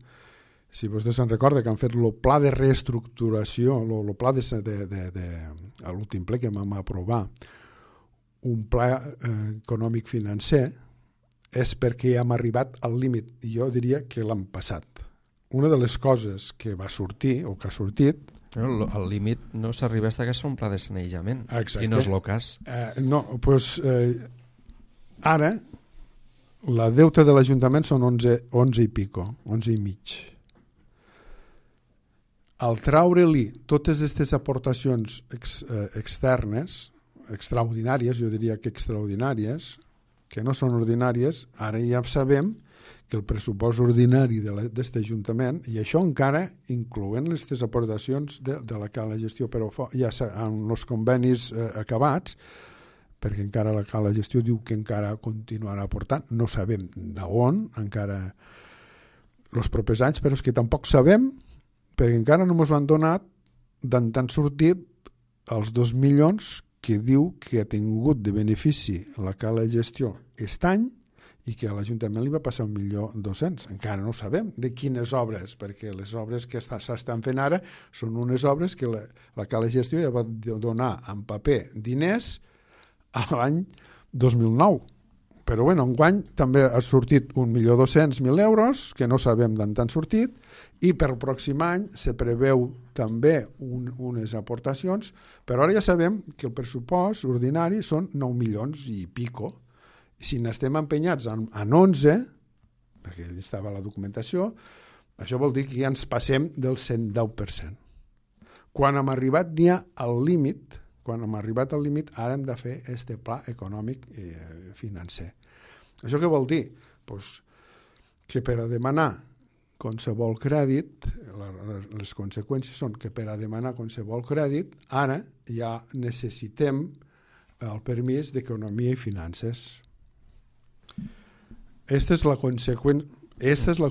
si vostè se'n recorda que han fet el pla de reestructuració, el pla a l'últim ple que vam aprovar, un pla econòmic financer, és perquè hem arribat al límit, i jo diria que l'hem passat. Una de les coses que va sortir, o que ha sortit... El límit no s'arriba fins que es fa un pla de sanejament, i no és el cas. Doncs ara la deuta de l'Ajuntament són 11 i pico, 11 i mig. Al treure-li totes aquestes aportacions externes, extraordinàries, jo diria que extraordinàries, que no són ordinàries, ara ja sabem que el pressupost ordinari d'aquest Ajuntament, i això encara incloent aquestes aportacions de la cala gestió, però ja amb els convenis acabats, perquè encara la cala gestió diu que encara continuarà aportant, no sabem d'on encara els propers anys, però és que tampoc sabem, perquè encara no ens ho han donat d'on han sortit els 2 milions que diu que ha tingut de benefici la cala gestió aquest any i que a l'Ajuntament li va passar 1.200.000. Encara no sabem de quines obres, perquè les obres que s'estan fent ara són unes obres que la cala gestió ja va donar en paper diners a l'any 2009. Però bueno, enguany també ha sortit 1.200.000 euros, que no sabem d'on han sortit, i per el pròxim any se preveu també unes aportacions, però ara ja sabem que el pressupost ordinari són 9 milions i pico. Si n'estem empenyats en 11, perquè allà estava la documentació, això vol dir que ja ens passem del 110%. Quan hem arribat ja al límit, ara hem de fer aquest pla econòmic i financer. Això què vol dir? Pues que per a demanar qualsevol crèdit, les conseqüències són que per a demanar qualsevol crèdit, ara ja necessitem el permís d'Economia i Finances. Aquesta és la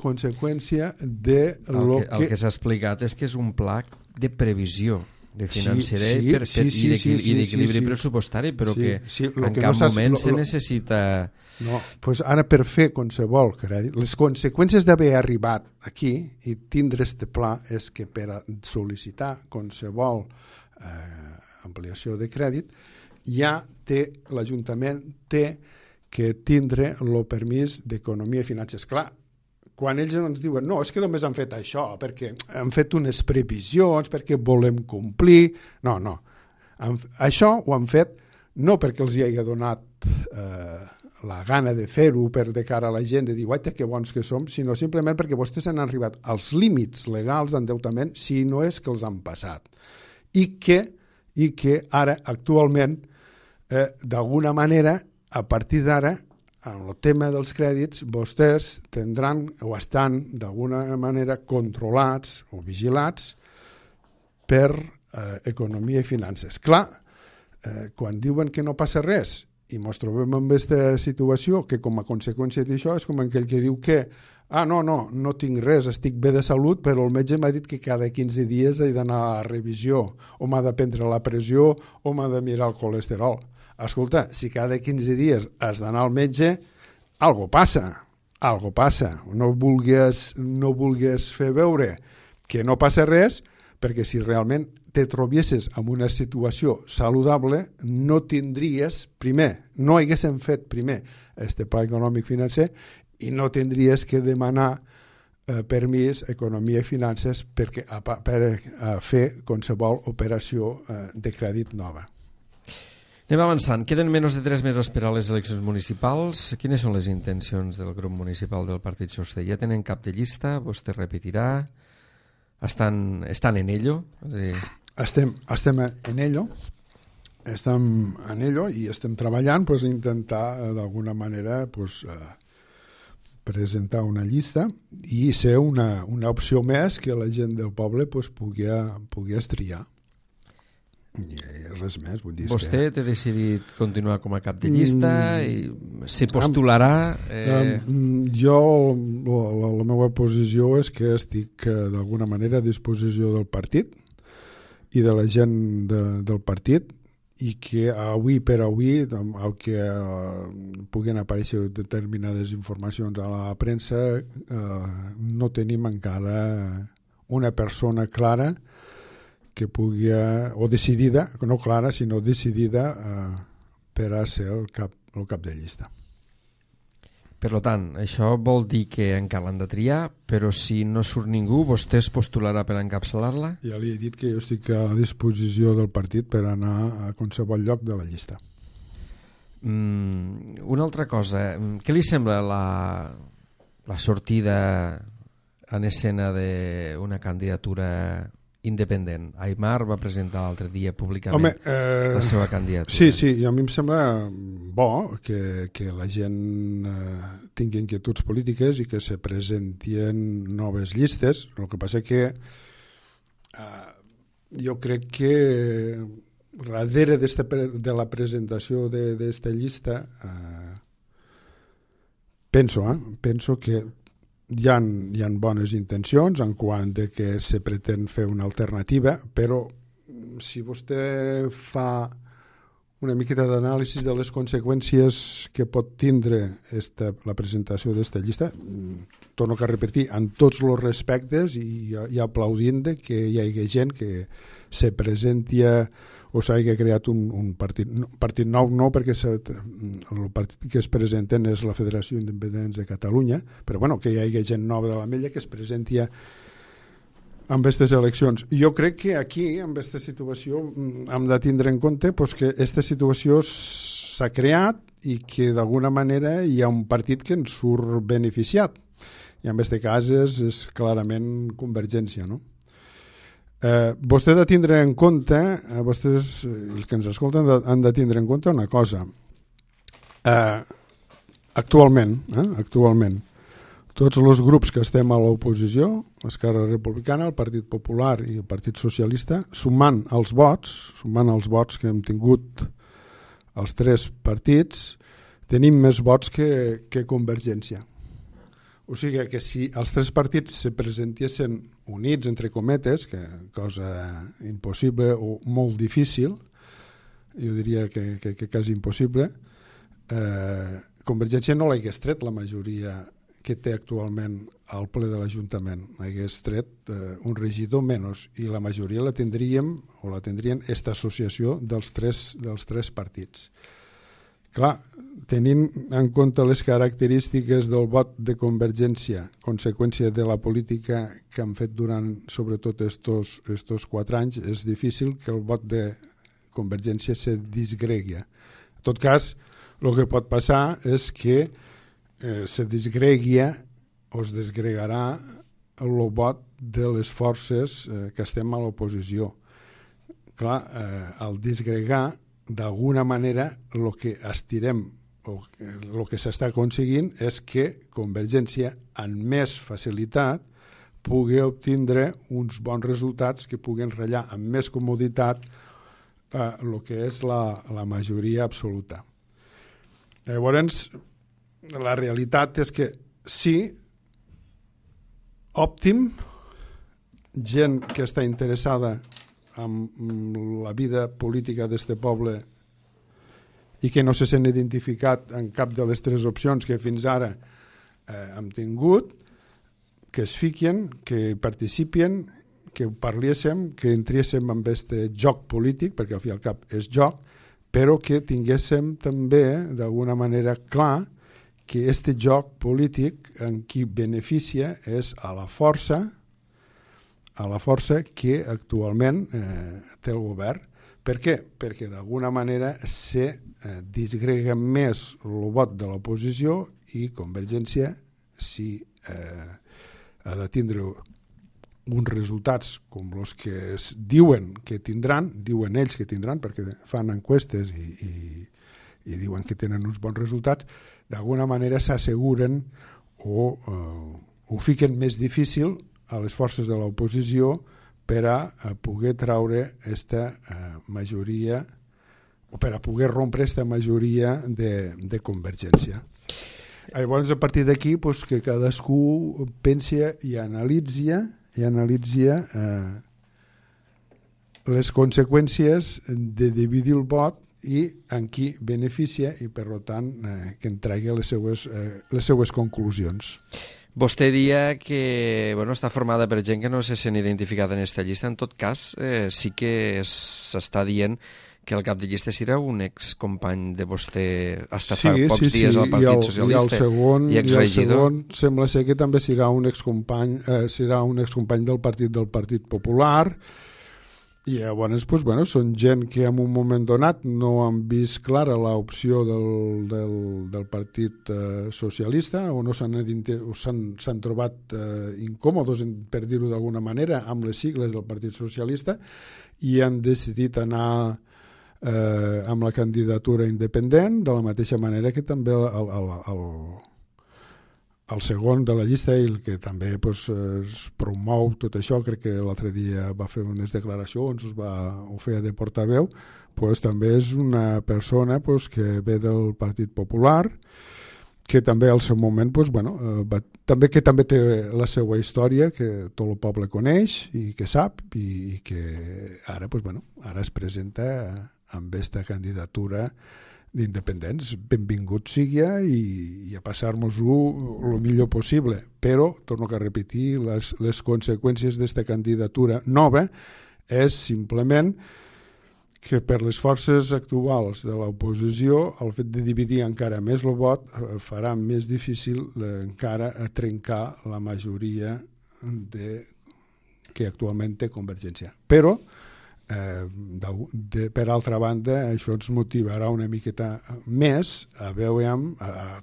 conseqüència de el que s'ha explicat és que és un pla de previsió de financer i d'equilibri pressupostari, però que en cap moment se necessita... No, doncs ara per fer qualsevol crèdit, les conseqüències d'haver arribat aquí i tindre este pla és que per a sol·licitar qualsevol ampliació de crèdit ja l'Ajuntament té que tindre el permís d'Economia i Finances. Clar, quan ells ens diuen no, és que només han fet això, perquè han fet unes previsions, perquè volem complir... No. Això ho han fet no perquè els hi hagi donat la gana de fer-ho per de cara a la gent, de dir, guaita, que bons que som, sinó simplement perquè vostès han arribat als límits legals d'endeutament, si no és que els han passat. I que ara, actualment, d'alguna manera, a partir d'ara, en el tema dels crèdits, vostès tindran o estan d'alguna manera controlats o vigilats per Economia i Finances. Clar, quan diuen que no passa res i ens trobem en aquesta situació que com a conseqüència d'això és com aquell que diu que no tinc res, estic bé de salut, però el metge m'ha dit que cada 15 dies he d'anar a revisió, o m'ha de prendre la pressió, o m'ha de mirar el colesterol. Escolta, si cada 15 dies has d'anar al metge, algo passa. No vulguis fer veure que no passa res, perquè si realment te trobiessis en una situació saludable, no tindries, primer, no haguéssim fet primer este pla econòmic financer i no tindries que demanar permís, economia i finances per fer qualsevol operació de crèdit nova. Anem avançant. Queden menys de 3 mesos per a les eleccions municipals. Quines són les intencions del grup municipal del Partit Socialista? Ja tenen cap de llista? Vostè repetirà? Estan en ello? Estem en ello. Estem en ello i estem treballant per intentar d'alguna manera presentar una llista i ser una opció més que la gent del poble pugui triar. I res més. Vull dir vostè té decidit continuar com a cap de llista i s'hi postularà? Jo, la meva posició és que estic d'alguna manera a disposició del partit i de la gent del partit i que avui per avui, que puguin aparèixer determinades informacions a la premsa, no tenim encara una persona clara que pugui, o decidida, no clara, sinó decidida per a ser el cap de llista. Per tant, això vol dir que encara l'han de triar, però si no surt ningú, vostè es postularà per encapçalar-la? Ja li he dit que jo estic a disposició del partit per anar a qualsevol lloc de la llista. Una altra cosa, què li sembla la sortida en escena d'una candidatura independent? Aimar va presentar l'altre dia públicament la seva candidatura. Sí, a mi em sembla bo que la gent tingui inquietuds polítiques i que se presentin noves llistes. El que passa que jo crec que darrere de la presentació d'esta llista penso que hi ha bones intencions en quant de que se pretén fer una alternativa, però si vostè fa una miqueta d'anàlisi de les conseqüències que pot tindre la presentació d'esta llista, torno a repetir, en tots els respectes i aplaudint que hi hagi gent que se presenti o s'hagi creat un partit nou, no, perquè el partit que es presenten és la Federació Independents de Catalunya, però bueno, que hi hagi gent nova de l'Ametlla que es presenti amb aquestes eleccions. Jo crec que aquí, amb aquesta situació, hem de tindre en compte que aquesta situació s'ha creat i que d'alguna manera hi ha un partit que en surt beneficiat. I en aquest cas és clarament Convergència, no? Vostè ha de tindre en compte, vostès, els que ens escolten, han de tindre en compte una cosa. Actualment, tots els grups que estem a l'oposició, Esquerra Republicana, el Partit Popular i el Partit Socialista, sumant els vots que hem tingut els 3 partits, tenim més vots que Convergència. O sigui que si els 3 partits se presentessin units, entre cometes, que cosa impossible o molt difícil, jo diria que quasi impossible, Convergència no l'hagués tret la majoria que té actualment al ple de l'Ajuntament. Hagués tret un regidor menys i la majoria la tindrien aquesta associació dels tres partits. Clar, tenint en compte les característiques del vot de Convergència, conseqüència de la política que han fet durant sobretot estos 4 anys, és difícil que el vot de Convergència se disgregui. En tot cas, el que pot passar és que se disgregui o es desgregarà el vot de les forces que estem a l'oposició. Clar, al disgregar, d'alguna manera, el que estirem o el que s'està aconseguint és que Convergència, amb més facilitat, pugui obtindre uns bons resultats que puguin ratllar amb més comoditat el que és la majoria absoluta. Llavors, la realitat és que sí, òptim, gent que està interessada amb la vida política d'este poble i que no se sent identificat en cap de les 3 opcions que fins ara hem tingut, que es fiquen, que participin, ho parléssim, que entréssim en aquest joc polític, perquè al fi i al cap és joc, però que tinguéssim també, d'alguna manera, clar que aquest joc polític en qui beneficia és a la força que actualment té el govern. Per què? Perquè d'alguna manera se disgrega més el vot de l'oposició i Convergència, si ha de tindre uns resultats com els que diuen que tindran, diuen ells que tindran, perquè fan enquestes i diuen que tenen uns bons resultats, d'alguna manera s'asseguren o ho fiquen més difícil a les forces de l'oposició per a poder traure aquesta majoria o per a poder rompre aquesta majoria de Convergència. Llavors, a partir d'aquí, que cadascú pensi i analitzi les conseqüències de dividir el vot i en qui beneficia i, per tant, que en tregui les seues conclusions. Vostè dia que està formada per gent que no se sent identificada en aquesta llista. En tot cas, sí que s'està dient que el cap de llista serà un excompany de vostè hasta fa pocs dies al Partit Socialista i exregidor. I el segon sembla ser que també serà un excompany del Partit Popular. I llavors, són gent que en un moment donat no han vist clara l'opció del Partit Socialista o no s'han trobat incòmodes, per dir-ho d'alguna manera, amb les sigles del Partit Socialista i han decidit anar amb la candidatura independent, de la mateixa manera que també el segon de la llista, el que també es promou tot això, crec que l'altre dia va fer unes declaracions, ho feia de portaveu, també és una persona que ve del Partit Popular, que també al seu moment també té la seva història, que tot el poble coneix i que sap, i que ara es presenta amb aquesta candidatura d'independents. Benvingut sigui i a passar-nos-ho el millor possible, però, torno a repetir, les conseqüències d'aquesta candidatura nova és simplement que per les forces actuals de l'oposició el fet de dividir encara més el vot farà més difícil encara trencar la majoria que actualment té Convergència. Però per altra banda, això ens motivarà una miqueta més a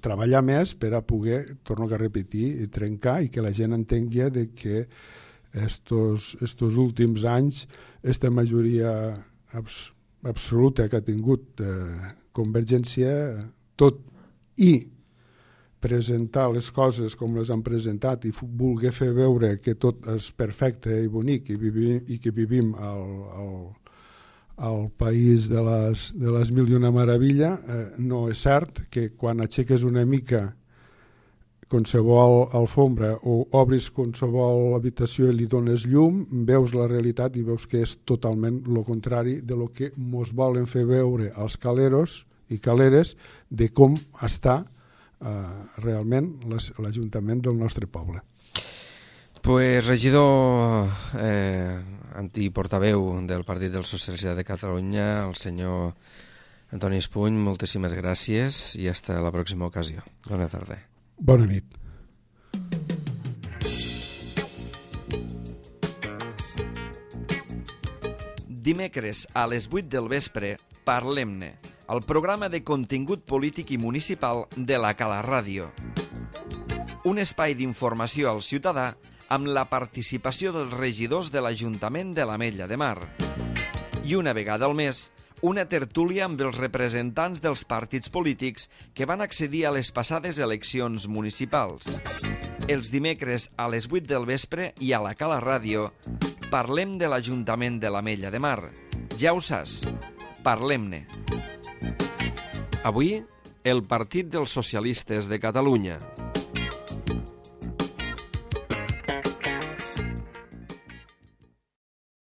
treballar més per a poder, torno a repetir, trencar i que la gent entengui que estos últims anys aquesta majoria absoluta que ha tingut Convergència, tot i presentar les coses com les han presentat i voler fer veure que tot és perfecte i bonic i que vivim al país de les mil i una meravella, no és cert que quan aixeques una mica qualsevol alfombra o obris qualsevol habitació i li dones llum, veus la realitat i veus que és totalment el contrari de lo que mos volen fer veure als caleros i caleres de com està realment l'Ajuntament del nostre poble. Regidor antiportaveu del Partit dels Socialistes de Catalunya, el senyor Antoni Espuny, moltíssimes gràcies i fins a la pròxima ocasió. Bona tarda. Bona nit. Dimecres a les 8 del vespre, Parlem-ne, el programa de contingut polític i municipal de la Cala Ràdio. Un espai d'informació al ciutadà amb la participació dels regidors de l'Ajuntament de l'Ametlla de Mar. I una vegada al mes, una tertúlia amb els representants dels partits polítics que van accedir a les passades eleccions municipals. Els dimecres a les 8 del vespre i a la Cala Ràdio parlem de l'Ajuntament de l'Ametlla de Mar. Ja ho saps, parlem-ne. Avui, el Partit dels Socialistes de Catalunya.